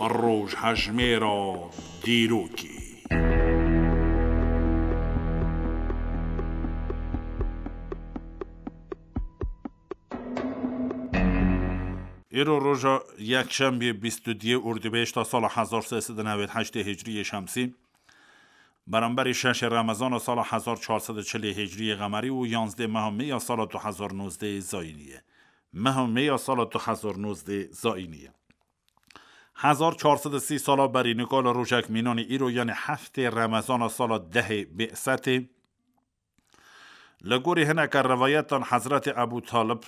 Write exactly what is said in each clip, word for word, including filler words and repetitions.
Rojhejmêra dîrokê. Îro roja yekşembiyê bîst û duyê Urdîbêşta sala hezar sê sed û newêd heştê Hicriyê Şemsî, beramberî şeşê Remezana sala hezar çar sed û çilê Hicriyê Qemerî û yanzdê meha Mê ya sala du hezar nozdeh Zayînî ye. Meha Mê ya sala du hezar nozdeh Zayînî ye. Hezar çar sed û sî sala berî nika li rojek mînanî îro, yanî heftê Remezana sala dehê Bê'setê, li gorî hineke rivayetan Hezretê Ebû Talib,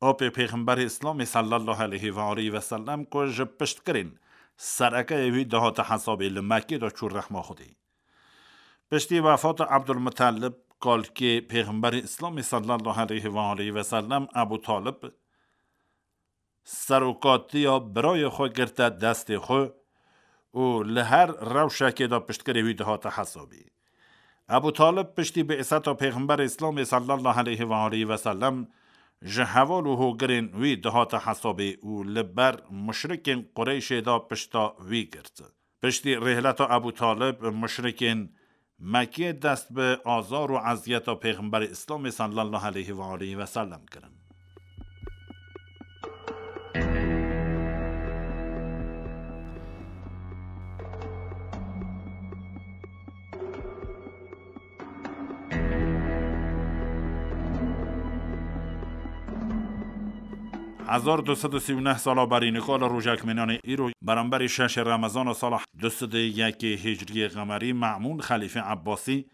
apê Pêxemberê Îslamê sallallahu aleyhi ve aleyhi ve sellem, ku ji piştgirên serekeyê wî dihate hesabê, li Mekkê de çû rehma Xwedê. Piştî wefata Ebdulmutalib, kalkê Pêxemberê Îslamê sallallahu aleyhi ve aleyhi ve sellem, Ebû Talib, serokatiya birayê xwe girte destê xwe û li her rewşekê de piştgirê wî dihate hesabê. Ebû Talib piştî bê'seta Pêxemberê Îslamê sallallahu aleyhi ve aleyhi ve sellem ji heval û hogirên wî dihate hesabê û li ber muşrikên Qureyşê de pişta wî girt. Piştî rêhleta Ebû Talib, muşrikên Mekkê dest bi azar û eziyeta Pêxemberê Îslamê sallallahu aleyhi ve aleyhi ve sellem kirin. Hezar du sed û sî û neh sala berî nika li rojek mînanê îro, beramberî şeşê Remezana sala du sed û yekê Hicriyê Qemerî, Me'mûn Xelîfê Ebbasî,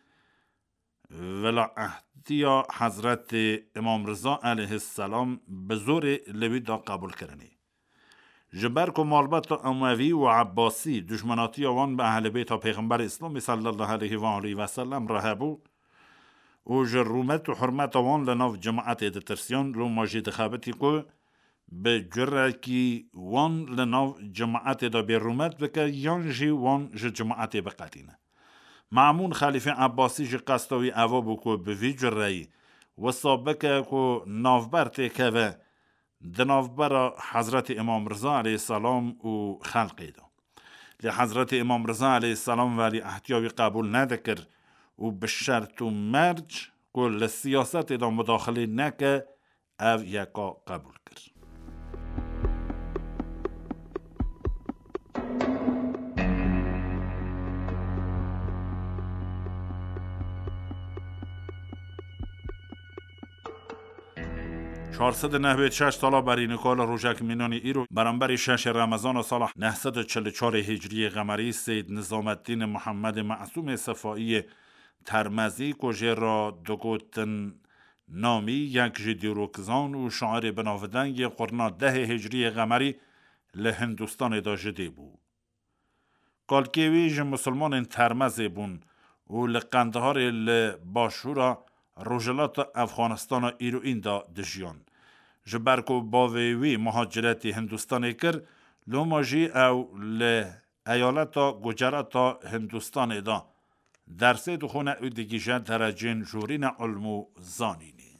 Velaehtiya Hezretê Îmam Riza aleyhisselam bi zorê li wî da qebûl kirinê. Ji ber ku malbeta Emewî û Ebbasî dijminatiya wan bi Ehlê Beyta Pêxemberê Îslamê sallallahu aleyhi ve aleyhi ve sellem re hebû û ji rûmet û hurmeta wan li nav cemaetê ditirsiyan, loma jî dixebitî ku bi curekî wan li nav cemaetê de bêrûmet bike yan jî wan ji cemaetê biqetîne. Me'mûn Xelîfê Ebbasî jî qesta wî eva bû ku bi vî cureyî wisa bike ku navber têkeve di navbera Hezretî Îmam Riza aleyhisselam û xelqê de. Lê Hezretî Îmam Riza aleyhisselam welîehtiya wî qebûl nedikir û bi şert û merc ku li siyasetê de mudaxilê neke, ev yeka qebûl kir. Çar sed û nehwêd şeş sala berî nika li rojek mînanî îro, beramberî şeşê Remezana sala neh sed û çil û çarê Hicriyê Qemerî, Seyyid Nizameddîn Muhammedê Mesûmê Sefaiyê Termezî, ku jê re digotin Namî, yek ji dîrokzan û şairê binavdeng yê qurna dehê Hicriyê Qemerî, li Hindistanê de ji dê bû. Kalkê wî ji misilmanên Termezê bûn û li Qendiharê li başûra rojhilata Efxanistana îroîn de dijiyan. Ji ber ku bavê wî muhaciretî Hindistanê kir, loma jî ew li eyaleta Gucerata Hindistanê de dersê dixwine û digihîje derecên jorîna ilm û zanînê.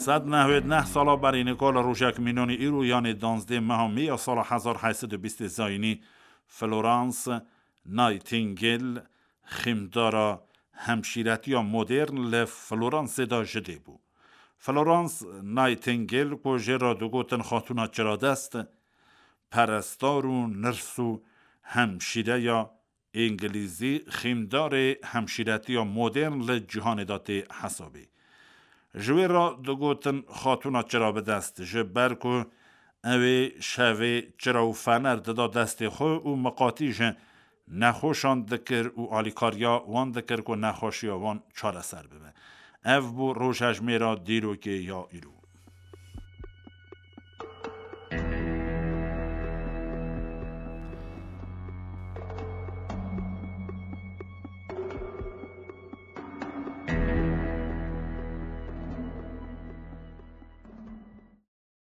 Sed nehwêd neh sala berî nika li rojek mînanî îro, yanê danzdê meha Mê ya sala hezar heyt sed û bîstê Zayînî, Florence Nightingale, xîmdara hemşîretiya modern, li Floransê de ji dê bû. Florence Nightingale, ku jê re digotin Xatûna Çiradest, perestar û nirs û hemşîreya Îngilîzî, xîmdarê hemşîretiya modern li cîhanê de tê hesabê. Ji wê re digotin Xatûna Çirabidest, ji ber ku ew ê şevê çira û fener dida destê xwe û miqatî ji nexweşan dikir û alîkariya wan dikir ku nexweşiya wan çareser bibe. Ev bû rojhejmêra dîrokê ya îro.